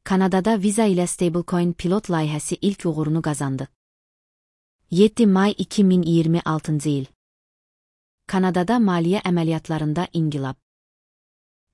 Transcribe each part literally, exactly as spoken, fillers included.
Kanadada Visa ilə stablecoin pilot layihəsi ilk uğurunu qazandı. yeddi may iki min iyirmi altıncı il. Kanadada maliyyə əməliyyatlarında inqilab.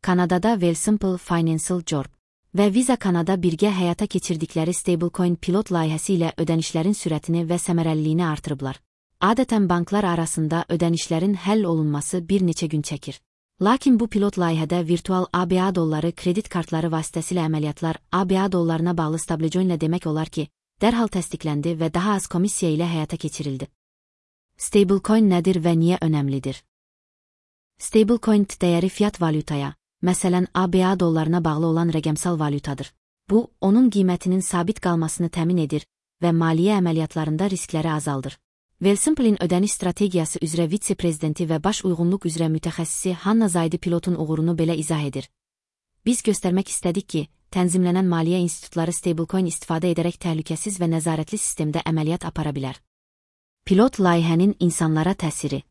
Kanadada Wealthsimple Financial Corp və Visa Kanada birgə həyata keçirdikləri stablecoin pilot layihəsi ilə ödənişlərin sürətini və səmərəliliyini artırıblar. Adətən banklar arasında ödənişlərin həll olunması bir neçə gün çəkir. Lakin bu pilot layihədə virtual A B A dolları kredit kartları vasitəsilə əməliyyatlar A B A dollarına bağlı stablecoinlə demək olar ki, dərhal təsdiqləndi və daha az komissiya ilə həyata keçirildi. Stablecoin nədir və niyə önəmlidir? Stablecoin dəyəri fiat valyutaya, məsələn A B A dollarına bağlı olan rəqəmsal valyutadır. Bu, onun qiymətinin sabit qalmasını təmin edir və maliyyə əməliyyatlarında riskləri azaldır. Wealthsimple'in ödəniş strategiyası üzrə vitse-prezidenti və baş uyğunluq üzrə mütəxəssisi Hanna Zaydi pilotun uğurunu belə izah edir. Biz göstərmək istədik ki, tənzimlənən maliyyə institutları stablecoin istifadə edərək təhlükəsiz və nəzarətli sistemdə əməliyyat apara bilər. Pilot layihənin insanlara təsiri.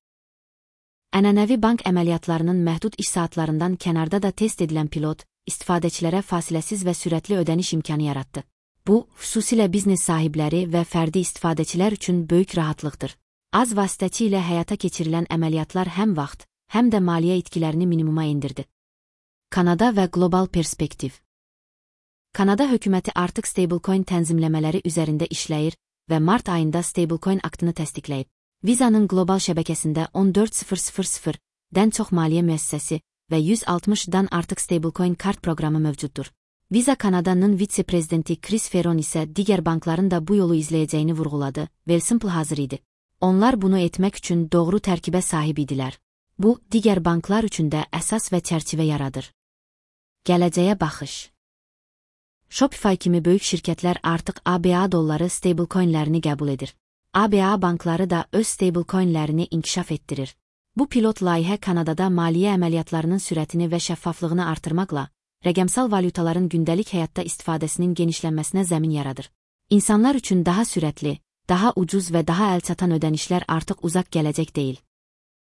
Ənənəvi bank əməliyyatlarının məhdud iş saatlarından kənarda da test edilən pilot, istifadəçilərə fasiləsiz və sürətli ödəniş imkanı yaratdı. Bu, xüsusilə biznes sahibləri və fərdi istifadəçilər üçün böyük rahatlıqdır. Az vasitəçi ilə həyata keçirilən əməliyyatlar həm vaxt, həm də maliyyə itkilərini minimuma endirdi. Kanada və qlobal perspektiv. Kanada hökuməti artıq stablecoin tənzimləmələri üzərində işləyir və mart ayında stablecoin aktını təsdiqləyib. Viza'nın qlobal şəbəkəsində on dörd min-dən çox maliyyə müəssisəsi və yüz altmışdan artıq stablecoin kart proqramı mövcuddur. Visa Kanada'nın vitse-prezidenti Chris Ferron isə digər bankların da bu yolu izləyəcəyini vurğuladı. Wealthsimple hazır idi. Onlar bunu etmək üçün doğru tərkibə sahib idilər. Bu, digər banklar üçün də əsas və çərçivə yaradır. Gələcəyə baxış. Shopify kimi böyük şirkətlər artıq A B A dolları stablecoinlərini qəbul edir. A B A bankları da öz stablecoinlərini inkişaf etdirir. Bu pilot layihə Kanadada maliyyə əməliyyatlarının sürətini və şəffaflığını artırmaqla, rəqəmsal valyutaların gündəlik həyatda istifadəsinin genişlənməsinə zəmin yaradır. İnsanlar üçün daha sürətli, daha ucuz və daha əlçatan ödənişlər artıq uzaq gələcək deyil.